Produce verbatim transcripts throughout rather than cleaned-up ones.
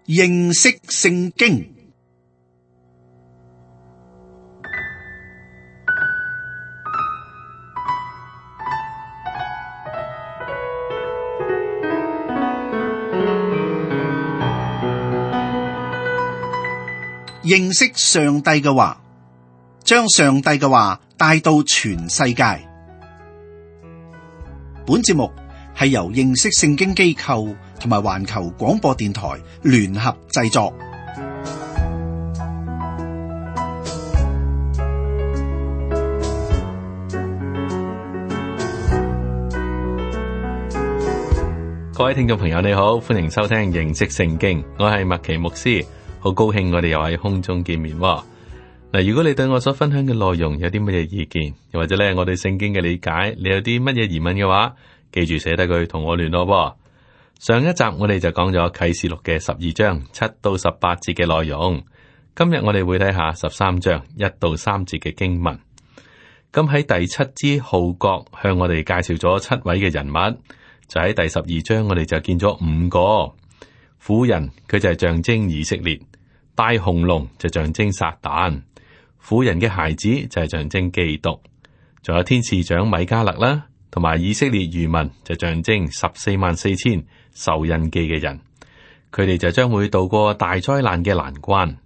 認識聖經。認識上帝嘅話，將上帝嘅話帶到全世界。本節目係由認識聖經機構同埋環球廣播電台聯合製作。各位聽眾朋友，你好，歡迎收聽認識聖經，我係麥奇牧師。好高興我哋又喺空中見面嗱。如果你對我所分享嘅內容有啲乜嘢意見，又或者咧我對聖經嘅理解，你有啲乜嘢疑問嘅話，記住寫低佢同我聯絡。上一集我哋就講咗啟示錄嘅十二章七到十八節嘅內容，今日我哋會睇下十三章一到三節嘅經文。咁喺第七支號角向我哋介紹咗七位嘅人物，就喺第十二章我哋就見咗五個婦人，佢就係象徵以色列。大紅龍就象徵撒旦，婦人嘅孩子就係象徵基督，仲有天使長米迦勒啦，同埋以色列餘民就象徵十四萬四千受印記嘅人，佢哋就將會渡過大災難嘅難關。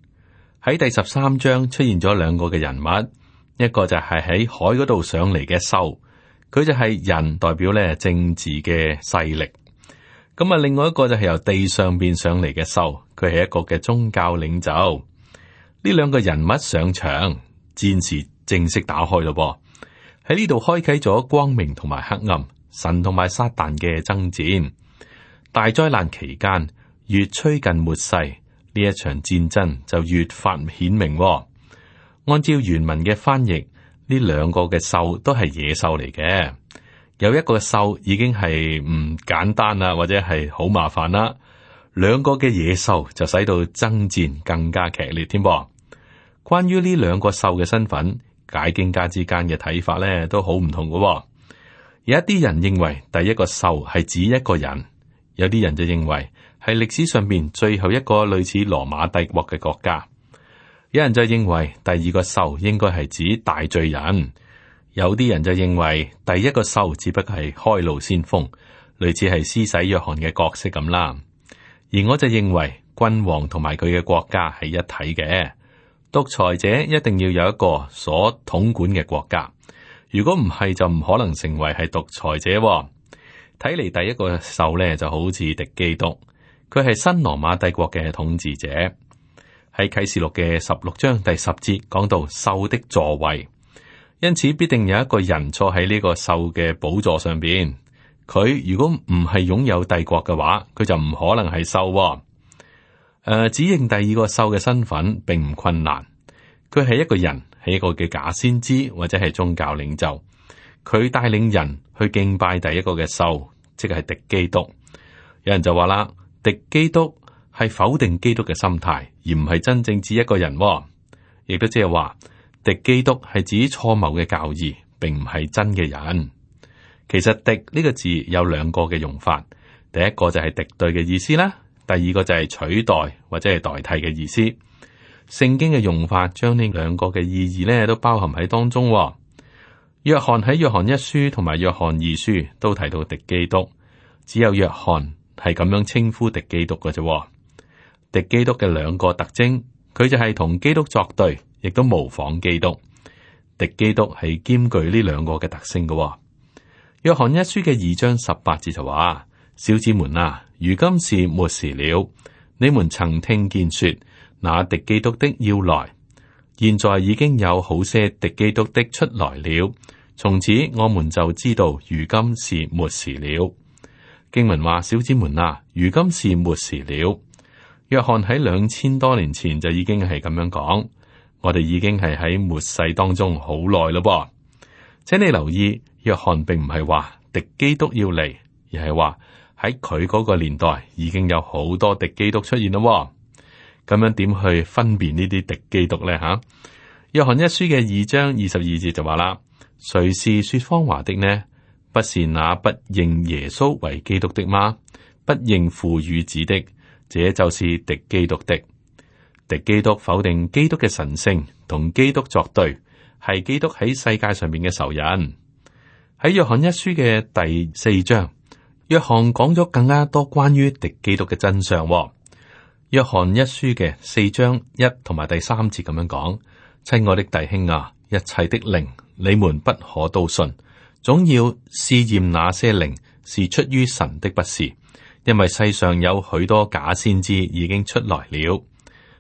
喺第十三章出現咗兩個嘅人物，一個就係喺海嗰度上嚟嘅獸，佢就係人，代表咧政治嘅勢力。咁啊，另外一個就係由地上邊上嚟嘅獸，佢係一個嘅宗教領袖。呢兩個人物上場，戰事正式打開咯噃。喺呢度開啟咗光明同埋黑暗，神同埋撒旦嘅爭戰。大災難期間，越趨近末世，呢一場戰爭就越發顯明。按照原文嘅翻譯，呢兩個嘅獸都係野獸嚟嘅。有一個獸已經係唔簡單啦，或者係好麻煩啦。兩個嘅野獸就使到爭戰更加劇烈添噃。關於呢兩個獸嘅身份，解經家之間嘅睇法咧都好唔同嘅。有一啲人認為第一個獸係指一個人，有啲人就認為係歷史上邊最後一個類似羅馬帝國嘅國家。有人就認為第二個獸應該係指大罪人。有啲人就認為第一個獸只不過係開路先鋒，類似係施洗約翰嘅角色咁啦。而我就認為君王同埋佢嘅國家係一體嘅，獨裁者一定要有一個所統管嘅國家，如果唔係就唔可能成為係獨裁者。睇嚟第一個獸咧就好似敵基督，佢係新羅馬帝國嘅統治者。喺啟示錄嘅十六章第十節講到獸的座位。因此必定有一個人坐喺呢個獸嘅寶座上邊。佢如果唔係擁有帝國嘅話，佢就唔可能係獸。誒、呃，指認第二個獸嘅身份並唔困難。佢係一個人，係一個嘅假先知或者係宗教領袖。佢帶領人去敬拜第一個嘅獸，即係敵基督。有人就話啦，敵基督係否定基督嘅心態，而唔係真正指一個人。亦都即係話。敵基督係指錯謬嘅教義，並唔係真嘅人。其實敵呢個字有兩個嘅用法，第一個就係敵對嘅意思啦，第二個就係取代或者係代替嘅意思。聖經嘅用法將呢兩個嘅意義咧都包含喺當中。約翰喺約翰一書同埋約翰二書都提到敵基督，只有約翰係咁樣稱呼敵基督嘅啫。敵基督嘅兩個特徵，佢就係同基督作對。亦都模仿基督，敵基督係兼具呢兩個嘅特性嘅。約翰一書嘅二章十八節就話：小子們啊，如今是末時了。你們曾聽見說，那敵基督的要來，現在已經有好些敵基督的出來了。從此我們就知道，如今是末時了。經文話：小子們啊，如今是末時了。約翰喺兩千多年前就已經係咁樣講。我哋已經係喺末世當中好耐咯噃，請你留意，約翰並唔係話敵基督要嚟，而係話喺佢嗰個年代已經有好多敵基督出現咯。咁樣點去分辨呢啲敵基督咧？吓，約翰一書嘅二章二十二節就話啦：誰是說謊話的呢？不是那不認耶穌為基督的嗎？不認父與子的，這就是敵基督的。敵基督否定基督嘅神性，同基督作對，係基督喺世界上面嘅仇人。喺約翰一書嘅第四章，約翰講咗更加多關於敵基督嘅真相。約翰一書嘅四章一同埋第三節咁樣講：親愛的弟兄啊，一切的靈你們不可都信，總要試驗那些靈是出於神的不是，因為世上有許多假先知已經出來了。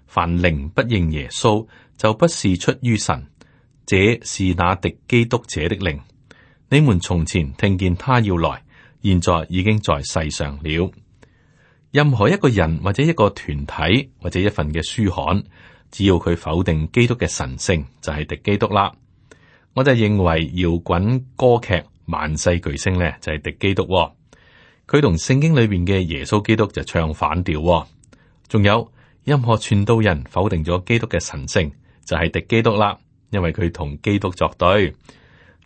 凡靈不認耶穌，就不是出於神，這是那敵基督者的靈。你們從前聽見他要來，現在已經在世上了。任何一個人或者一個團體或者一份嘅書刊，只要佢否定基督嘅神聖，就係敵基督啦。我就認為搖滾歌劇萬世巨星呢，就係敵基督。佢同聖經裏邊嘅耶穌基督就唱反調。仲有任何傳道人否定咗基督嘅神聖，就係敵基督啦，因為佢同基督作對。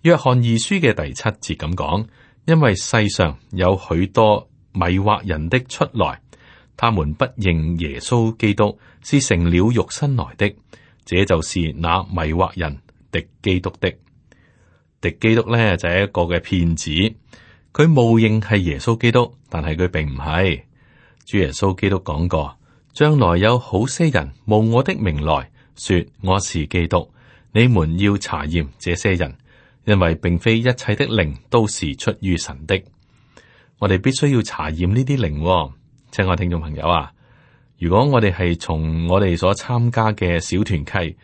約翰二書嘅第七節咁講：因為世上有許多迷惑人的出來，他們不認耶穌基督是成了肉身來的，這就是那迷惑人敵基督的。敵基督呢，就係一個嘅騙子，佢冒認係耶穌基督，但係佢並唔係。主耶穌基督講過，將來有好些人冒我的名來說我是基督，你們要查驗這些人，因為並非一切的靈都是出於神的。我哋必須要查驗呢啲靈。親愛聽眾朋友啊，如果我哋係從我哋所參加嘅小團契，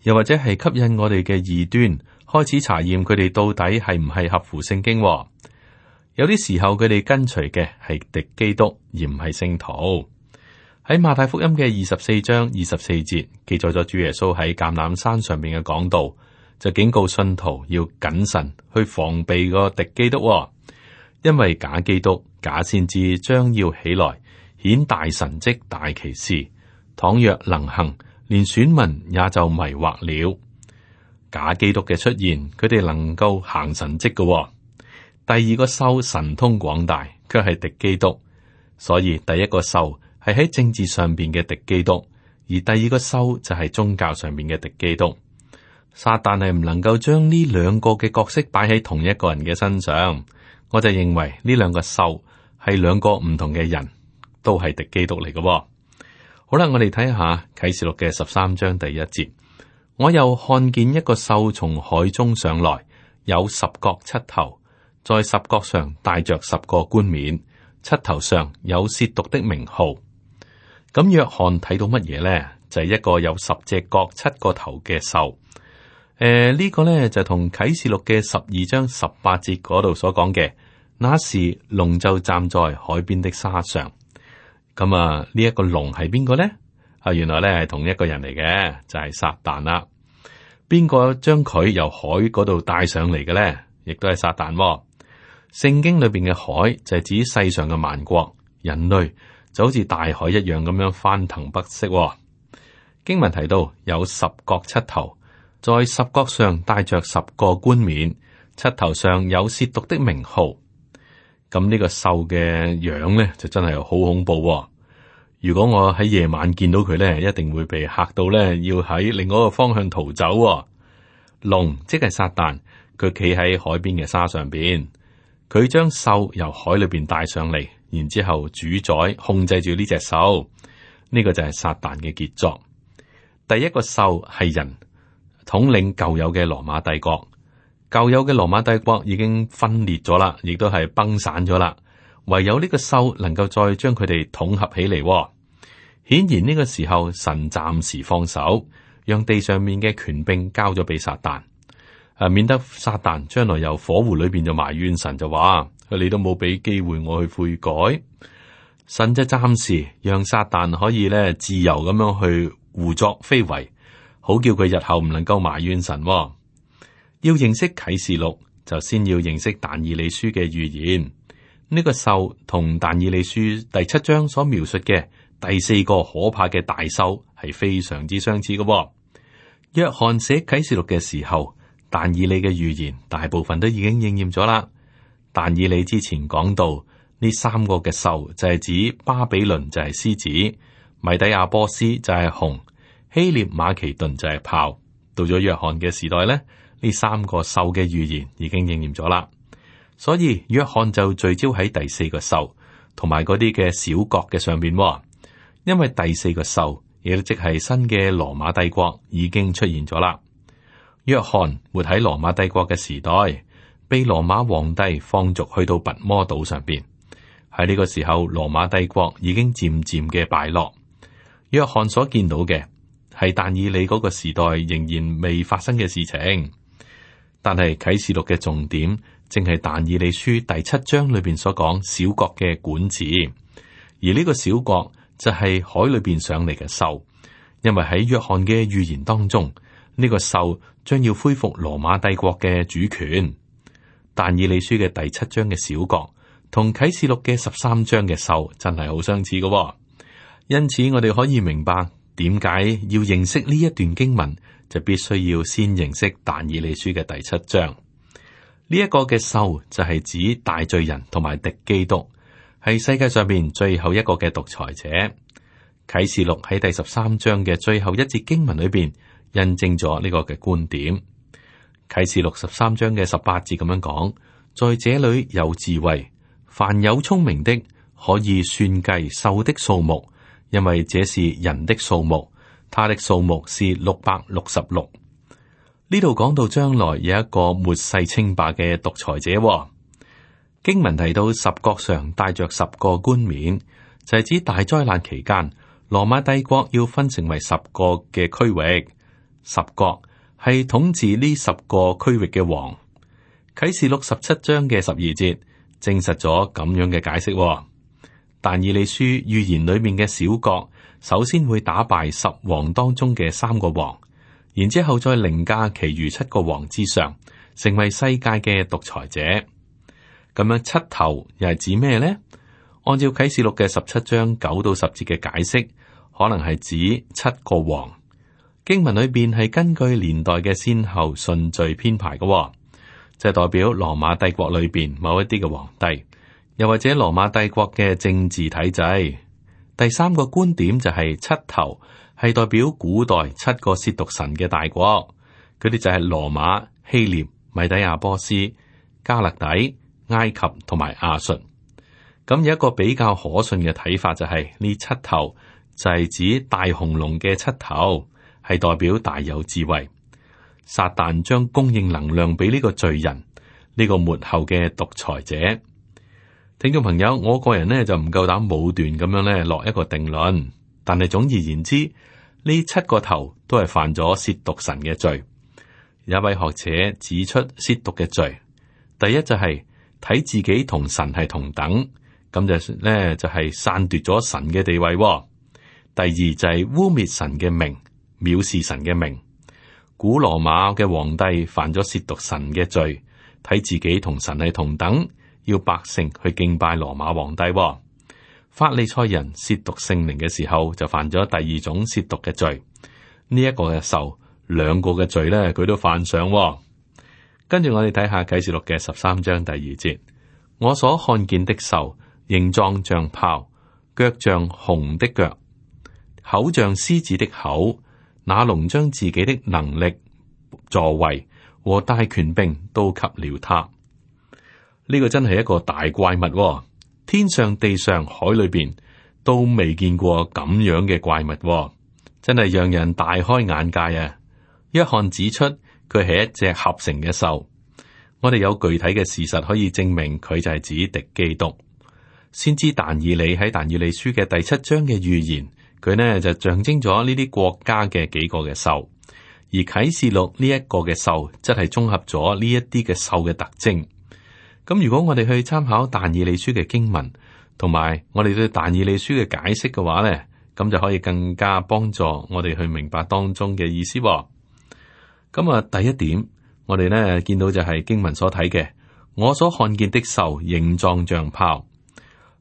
又或者係吸引我哋嘅異端，開始查驗佢哋到底係唔係合乎聖經。有啲時候佢哋跟隨嘅係敵基督，而唔係聖徒。喺馬太福音嘅二十四章二十四節記載咗主耶穌喺橄欖山上面嘅講道，就警告信徒要謹慎去防備個敵基督，因為假基督、假先知將要起來，顯大神蹟、大奇事。倘若能行，連選民也就迷惑了。假基督嘅出現，佢哋能夠行神蹟嘅。第二個獸神通廣大，卻係敵基督。所以第一個獸係喺政治上邊嘅敵基督，而第二個獸就係宗教上邊嘅敵基督。撒旦係唔能夠將呢兩個嘅角色擺喺同一個人嘅身上。我就認為呢兩個獸係兩個唔同嘅人，都係敵基督嚟嘅。好啦，我哋睇下啟示錄嘅十三章第一節。我又看見一個獸從海中上來，有十角七頭。在十角上帶着十個冠冕，七頭上有褻瀆的名號。咁約翰睇到乜嘢呢？就係、是、一個有十隻角、七個頭嘅獸。誒、呃，呢、這個呢，就同啟示錄嘅十二章十八節嗰度所講嘅，那時龍就站在海邊的沙上。咁啊，呢一個龍係邊個呢？啊，原來呢係同一個人嚟嘅，就係、是、撒旦啦。邊個將佢由海嗰度帶上嚟嘅呢？亦都係撒旦、哦。聖經裏邊嘅海就係指世上嘅萬國，人類就好似大海一樣咁樣翻騰不息、哦。經文提到有十角七頭，在十角上帶着十個冠冕，七頭上有褻瀆的名號。咁呢個獸嘅樣咧就真係好恐怖、哦。如果我喺夜晚見到佢咧，一定會被嚇到咧，要喺另外一個方向逃走、哦。龍即係撒旦，佢企喺海邊嘅沙上邊。佢將獸由海裏邊帶上嚟，然之後主宰控制住呢隻獸，呢、這個就係撒旦嘅傑作。第一個獸係人，統領舊有嘅羅馬帝國。舊有嘅羅馬帝國已經分裂咗啦，亦都係崩散咗啦。唯有呢個獸能夠再將佢哋統合起嚟。顯然呢個時候，神暫時放手，讓地上面嘅權柄交咗俾撒旦。誒，免得撒旦將來由火湖裏邊就埋怨神，就話你都冇俾機會我去悔改。神就暫時讓撒旦可以咧自由咁樣去胡作非為，好叫佢日後唔能夠埋怨神。要認識啟示錄，就先要認識但以理書嘅預言。呢、這個獸同但以理書第七章所描述嘅第四個可怕嘅大獸係非常之相似嘅。約翰寫啟示錄嘅時候，但以理嘅預言大部分都已經應驗咗啦。但以理之前講到呢三個嘅獸就係指巴比倫就係獅子，米底亞波斯就係熊，希臘馬其頓就係豹。到咗約翰嘅時代咧，呢三個獸嘅預言已經應驗咗啦。所以約翰就聚焦喺第四個獸同埋嗰啲嘅小國嘅上邊，因為第四個獸亦都即係新嘅羅馬帝國已經出現咗啦。約翰活喺羅馬帝國嘅時代，被羅馬皇帝放逐去到拔摩島上邊。喺呢個時候，羅馬帝國已經漸漸嘅敗落。約翰所見到嘅係但以理嗰個時代仍然未發生嘅事情，但係啟示錄嘅重點正係但以理書第七章裏邊所講小國嘅管治，而呢個小國就係海裏邊上嚟嘅獸，因為喺約翰嘅預言當中，呢個獸將要恢復羅馬帝國嘅主權。但以理書嘅第七章嘅小國同啟示錄嘅十三章嘅獸真係好相似嘅，因此我哋可以明白點解要認識呢一段經文，就必須要先認識但以理書嘅第七章。呢一個嘅獸就係指大罪人同埋敵基督，係世界上邊最後一個嘅獨裁者。啟示錄喺第十三章嘅最後一節經文裏邊印證咗呢個嘅觀點。啟示錄十三章嘅十八節咁樣講，在這裏有智慧，凡有聰明的可以算計獸的數目，因為這是人的數目，他的數目是六百六十六。呢度講到將來有一個末世稱霸嘅獨裁者，哦。經文提到十國上帶着十個冠冕，就係、是、指大災難期間，羅馬帝國要分成為十個嘅區域，十國係統治呢十個區域嘅王。啟示錄十七章嘅十二節證實咗咁樣嘅解釋，哦。但以理書預言裏面嘅小國，首先會打敗十王當中嘅三個王，然之後再凌駕其餘七個王之上，成為世界嘅獨裁者。咁樣七頭又係指咩呢？按照啟示錄嘅十七章九到十節嘅解釋，可能係指七個王。經文裏邊係根據年代嘅先後順序編排嘅，哦，就係代表羅馬帝國裏邊某一啲嘅皇帝，又或者羅馬帝國嘅政治體制。第三個觀點就係七頭係代表古代七個褻瀆神嘅大國，佢哋就係羅馬、希臘、米底亞波斯、加勒底、埃及同埋亞述。咁有一個比較可信嘅睇法就係、是、呢七頭就係指大紅龍嘅七頭，係代表大有智慧。撒旦將供應能量俾呢個罪人，呢、這個末後嘅獨裁者。聽眾朋友，我個人呢就唔夠膽武斷咁樣咧落一個定論，但係總而言之，呢七個頭都係犯咗褻瀆神嘅罪。有一位學者指出褻瀆嘅罪，第一就係睇自己同神係同等，咁就咧就係篡奪咗神嘅地位。第二就係污衊神嘅名，藐視神嘅名。古羅馬嘅皇帝犯咗褻瀆神嘅罪，睇自己同神係同等，要百姓去敬拜羅馬皇帝。法利賽人褻瀆聖靈嘅時候，就犯咗第二種褻瀆嘅罪。呢、這、一個嘅獸，兩個嘅罪咧，佢都犯上。跟住我哋睇下啟示錄嘅十三章第二節，我所看見的獸，形狀像豹，腳像熊的腳，口像獅子的口。那龍將自己的能力、座位和大權柄都給了他。呢、這個真係一個大怪物，天上地上海裏邊都未見過咁樣嘅怪物，真係讓人大開眼界啊！約翰指出佢係一隻合成嘅獸，我哋有具體嘅事實可以證明佢就係指敵基督。先知但以理喺但以理書嘅第七章嘅預言，佢呢就象徵咗呢啲國家嘅幾個嘅獸，而啟示錄呢一個嘅獸，則係綜合咗呢一啲嘅獸嘅特徵。咁如果我哋去參考但以理書嘅經文，同埋我哋對但以理書嘅解釋嘅話呢，咁就可以更加幫助我哋去明白當中嘅意思。咁啊，第一點，我哋呢見到就係經文所睇嘅，我所看見的獸形狀像豹。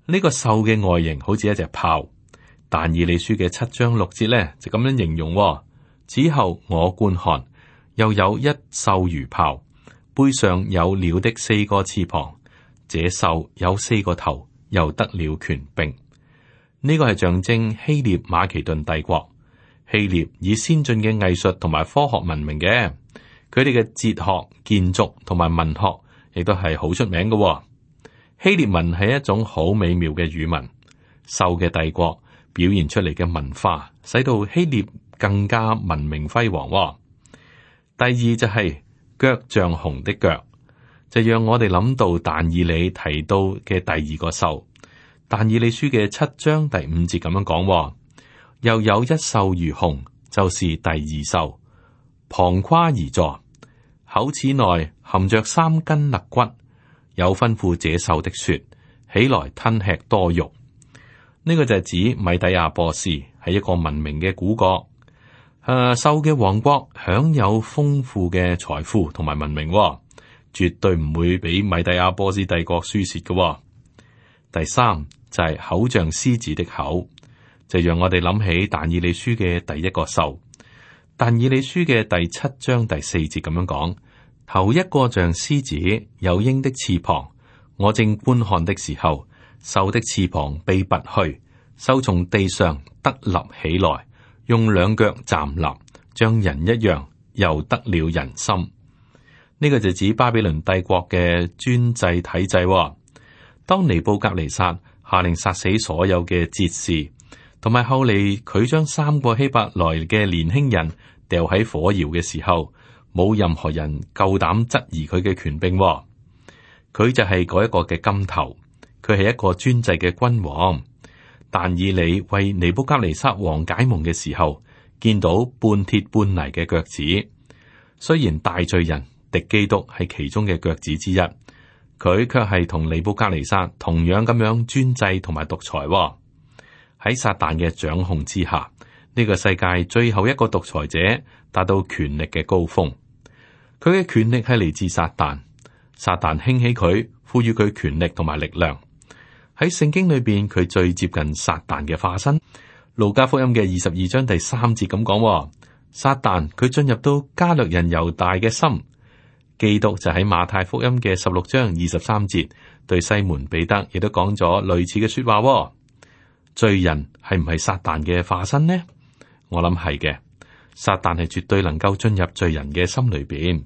呢個獸嘅外形好似一隻豹。但以理書嘅七章六節呢，就咁樣形容。此後我觀看，又有一獸如豹，背上有鳥的四個翅膀，這獸有四個頭，又得了權柄。呢個係象徵希臘馬其頓帝國。希臘以先進嘅藝術同埋科學聞名嘅，佢哋嘅哲學、建築同埋文學亦都係好出名嘅。希臘文係一種好美妙嘅語文，獸嘅帝國表現出嚟嘅文化，使到希臘更加文明輝煌。第二就係腳像熊的腳，就讓我哋諗到但以理提到嘅第二個獸。但以理書嘅七章第五節咁樣講，又有一獸如熊，就是第二獸，旁跨而坐，口齒內含着三根肋骨，有吩咐這獸的說：起來吞吃多肉。呢、這個就係指米底亞波斯係一個文明嘅古國，誒，獸嘅王國享有豐富嘅財富同埋文明，絕對唔會比米底亞波斯帝國輸蝕嘅。第三就係、是、口像獅子的口，就讓我哋諗起但以理書嘅第一個獸。但以理書嘅第七章第四節咁樣講：頭一個像獅子，有鷹的翅膀。我正觀看的時候，獸的翅膀被拔去，獸從地上得立起來，用兩腳站立，像人一樣，又得了人心。呢、這個就指巴比倫帝國嘅專制體制。當尼布甲尼撒下令殺死所有嘅哲士，同埋後嚟佢將三個希伯來嘅年輕人掉喺火窯嘅時候，冇任何人夠膽質疑佢嘅權柄。佢就係嗰一個嘅金頭，佢係一個專制嘅君王。但以理為尼布甲尼撒王解夢嘅時候，見到半鐵半泥嘅腳趾。雖然大罪人敵基督係其中嘅腳趾之一，佢卻係同尼布甲尼撒同樣咁樣專制同埋獨裁。喺撒旦嘅掌控之下，呢個世界最後一個獨裁者達到權力嘅高峰。佢嘅權力係嚟自撒旦，撒旦興起佢，賦予佢權力同埋力量。喺聖經裏邊，佢最接近撒旦嘅化身。路加福音嘅二十二章第三節咁講：撒旦佢進入到加略人猶大嘅心。基督就喺馬太福音嘅十六章二十三節對西門彼得亦都講咗類似嘅說話。罪人係唔係撒旦嘅化身呢？我諗係嘅。撒旦係絕對能夠進入罪人嘅心裏邊。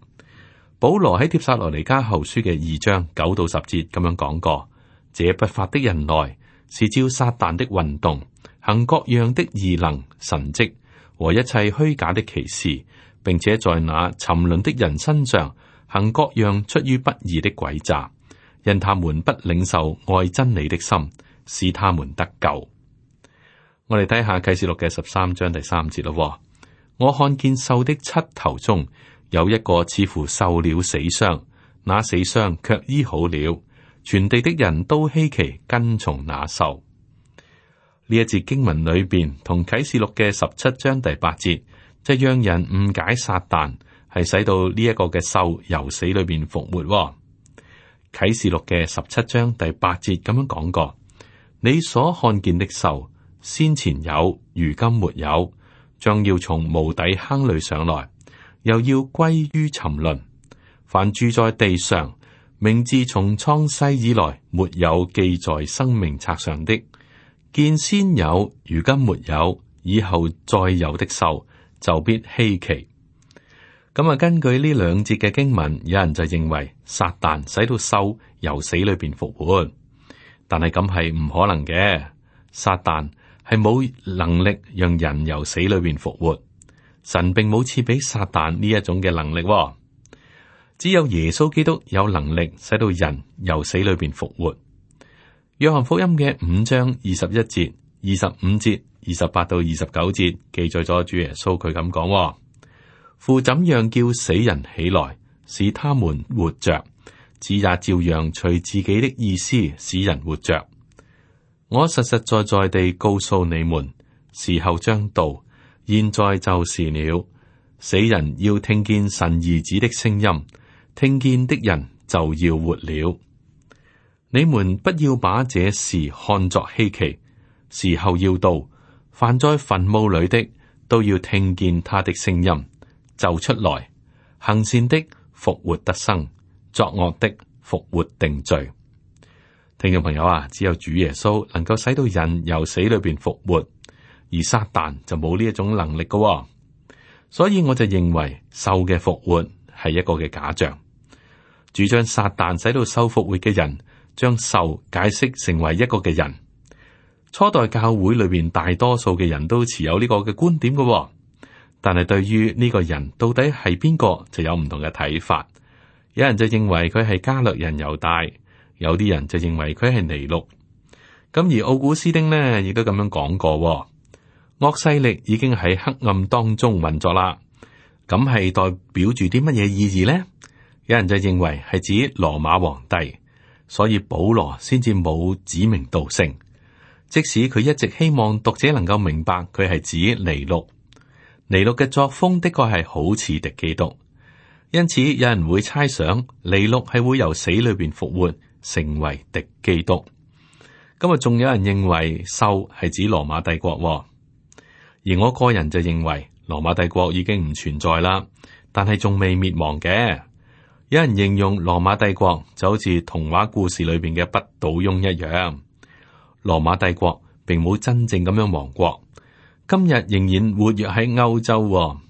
保羅喺帖撒羅尼迦後書嘅二章九到十節咁樣講過：這不法的人來，是照撒旦的運動，行各樣的異能、神蹟和一切虛假的奇事，並且在那沉淪的人身上行各樣出於不義的詭詐，因他們不領受愛真理的心，使他們得救。我哋睇下啟示錄嘅十三章第三節咯。我看見獸的七頭中有一個似乎受了死傷，那死傷卻醫好了。全地的人都稀奇跟從那獸。呢一節經文裏邊同啟示錄嘅十七章第八節，就讓人誤解撒旦係使到呢一個嘅獸由死裏邊復活。啟示錄嘅十七章第八節咁樣講過：你所看見的獸，先前有，如今沒有，將要從無底坑裏上來，又要歸於沉淪。凡住在地上，名字從創世以來沒有記在生命冊上的，見先有，如今沒有，以後再有的獸，就必稀奇。咁啊，根據呢兩節嘅經文，有人就認為撒旦使到獸由死裏邊復活，但係咁係唔可能嘅。撒旦係冇能力讓人由死裏邊復活，神並冇賜俾撒旦呢一種嘅能力。只有耶穌基督有能力使到人由死裏邊復活。約翰福音嘅五章二十一節、二十五節、二十八到二十九節記載咗主耶穌佢咁講：父怎樣叫死人起來，使他們活着，子也照樣隨自己的意思使人活着。我實實在在地告訴你們，時候將到，現在就是了。死人要聽見神兒子的聲音，聽見的人就要活了。你們不要把這事看作稀奇，時候要到，凡在墳墓裏的都要聽見他的聲音，就出來，行善的復活得生，作惡的復活定罪。聽眾朋友啊，只有主耶穌能夠使到人由死裏邊復活，而撒旦就冇呢一種能力嘅。所以我就認為獸嘅復活係一個嘅假象，主張撒旦使到獸復活嘅人，將獸解釋成為一個嘅人。初代教會裏邊大多數嘅人都持有呢個嘅觀點嘅，但係對於呢個人到底係邊個就有唔同嘅睇法。有人就認為佢係加略人猶大，有啲人就認為佢係尼祿。咁而奧古斯丁呢，亦都咁樣講過，惡勢力已經喺黑暗當中運作啦。咁係代表住啲乜嘢意義呢？有人就認為係指羅馬皇帝，所以保羅先至冇指名道姓。即使佢一直希望讀者能夠明白佢係指尼祿，尼祿嘅作風的確係好似敵基督，因此有人會猜想尼祿係會由死裏邊復活，成為敵基督。咁啊，仲有人認為獸係指羅馬帝國，而我個人就認為羅馬帝國已經唔存在啦，但係仲未滅亡嘅。有人形容羅馬帝國就好似童話故事裏邊嘅不倒翁一樣。羅馬帝國並冇真正咁樣亡國，今日仍然活躍喺歐洲。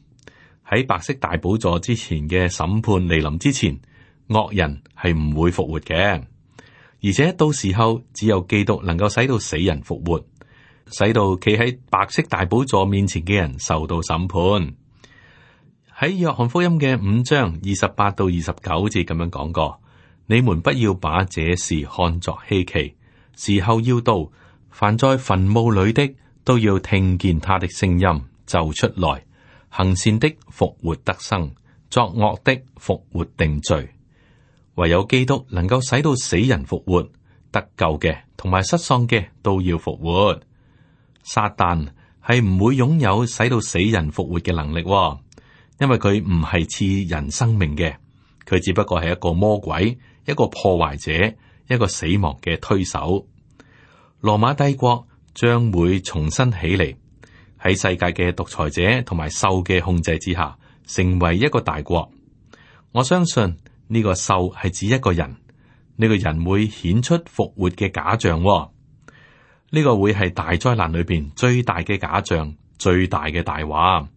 喺白色大寶座之前嘅審判嚟臨之前，惡人係唔會復活嘅，而且到時候只有基督能夠使到死人復活，使到企喺白色大寶座面前嘅人受到審判。喺約翰福音嘅五章二十八到二十九節咁樣講過：你們不要把這事看作稀奇。時候要到，凡在墳墓裏的都要聽見他的聲音，就出來。行善的復活得生，作惡的復活定罪。唯有基督能夠使到死人復活，得救嘅同埋失喪嘅都要復活。撒旦係唔會擁有使到死人復活嘅能力，因為佢唔係賜人生命嘅，佢只不過係一個魔鬼，一個破壞者，一個死亡嘅推手。羅馬帝國將會重新起嚟，喺世界嘅獨裁者同埋獸嘅控制之下，成為一個大國。我相信呢個獸係指一個人，呢個人會顯出復活嘅假象。呢個會係大災難裏邊最大嘅假象，最大嘅大話。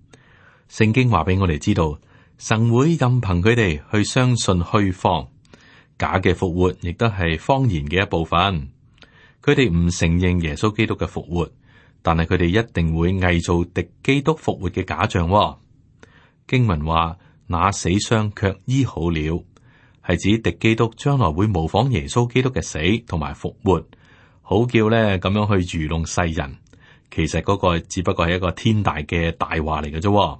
聖經話俾我哋知道，神會任憑佢哋去相信虛謊。假嘅復活亦都係謊言嘅一部分，佢哋唔承認耶穌基督嘅復活，但係佢哋一定會偽造敵基督復活嘅假象。經文話：那死傷卻醫好了，係指敵基督將來會模仿耶穌基督嘅死同埋復活，好叫咧咁樣去愚弄世人。其實嗰個只不過係一個天大嘅大話嚟嘅啫。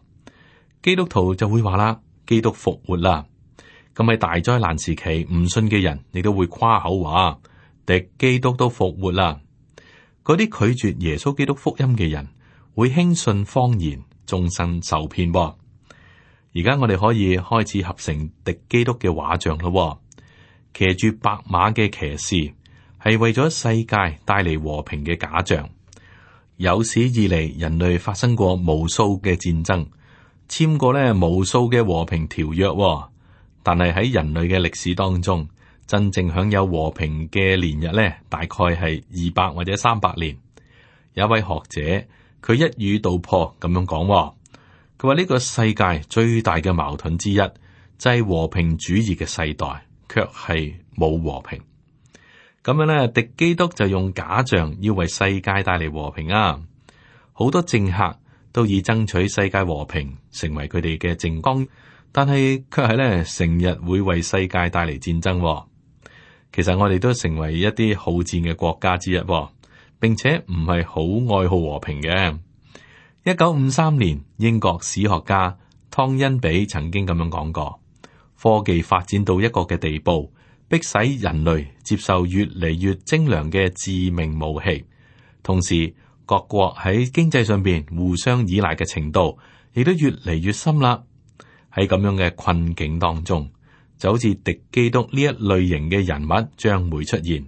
基督徒就會話啦：基督復活啦。咁喺大災難時期，唔信嘅人亦都會誇口話敵基督都復活啦。嗰啲拒絕耶穌基督福音嘅人會輕信謊言，終身受騙噃。而家我哋可以開始合成敵基督嘅畫像咯。騎住白馬嘅騎士係為咗世界帶嚟和平嘅假象。有史以嚟，人類發生過無數嘅戰爭，簽過咧無數嘅和平條約。但係喺人類嘅歷史當中，真正享有和平嘅年日咧，大概係二百或者三百年。有一位學者，佢一語道破咁樣講，佢話呢個世界最大嘅矛盾之一就係和平主義嘅世代，卻係冇和平。咁樣咧，敵基督就用假象要為世界帶嚟和平啊！好多政客都以爭取世界和平成為佢哋嘅政綱。但係卻係咧，成日會為世界帶嚟戰爭。其實我哋都成為一啲好戰嘅國家之一，並且唔係好愛好和平嘅。一九五三年，英國史學家湯恩比曾經咁樣講過：科技發展到一個嘅地步，迫使人類接受越嚟越精良嘅致命武器，同時各國喺經濟上邊互相依賴嘅程度亦都越嚟越深啦。喺咁樣嘅困境當中，就好似敵基督呢一類型嘅人物將會出現，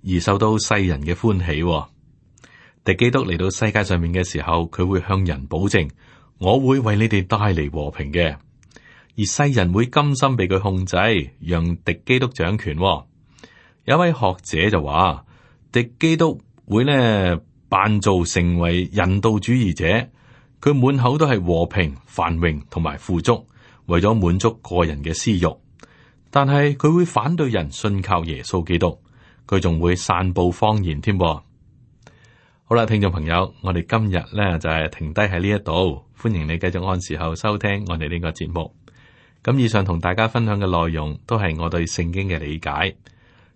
而受到世人嘅歡喜。敵基督嚟到世界上面嘅時候，佢會向人保證：我會為你哋帶嚟和平嘅。而世人會甘心被佢控制，讓敵基督掌權。有一位學者就話，敵基督會呢扮造成為人道主義者，佢滿口都係和平、繁榮同埋富足，為咗滿足個人嘅私欲。但係佢會反對人信靠耶穌基督，佢仲會散布謊言添。好啦，聽眾朋友，我哋今日咧就係停低喺呢一度，歡迎你繼續按時候收聽我哋呢個節目。咁以上同大家分享嘅內容都係我對聖經嘅理解。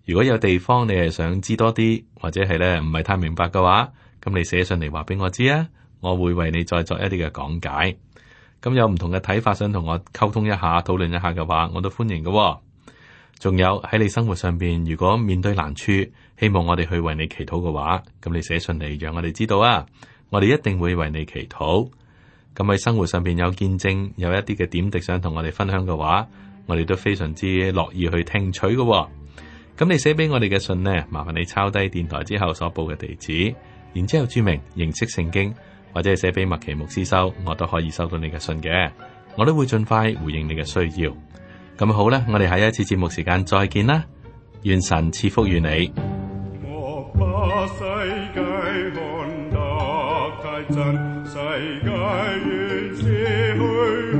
如果有地方你係想知多啲，或者係咧唔係太明白嘅話，咁你寫信嚟話俾我知啊，我會為你再作一啲嘅講解。咁有唔同嘅睇法，想同我溝通一下、討論一下嘅話，我都歡迎嘅。仲有喺你生活上邊，如果面對難處，希望我哋去為你祈禱嘅話，咁你寫信嚟讓我哋知道啊，我哋一定會為你祈禱。咁喺生活上邊有見證，有一啲嘅點滴想同我哋分享嘅話，我哋都非常之樂意去聽取嘅。咁你寫俾我哋嘅信呢，麻煩你抄低電台之後所報嘅地址，然之後注明認識聖經，或者係寫俾麥奇牧師收，我都可以收到你嘅信嘅，我都會盡快回應你嘅需要。咁好啦，我哋下一次節目時間再見啦，願神賜福於你。我把世界看得太真，世界原是虛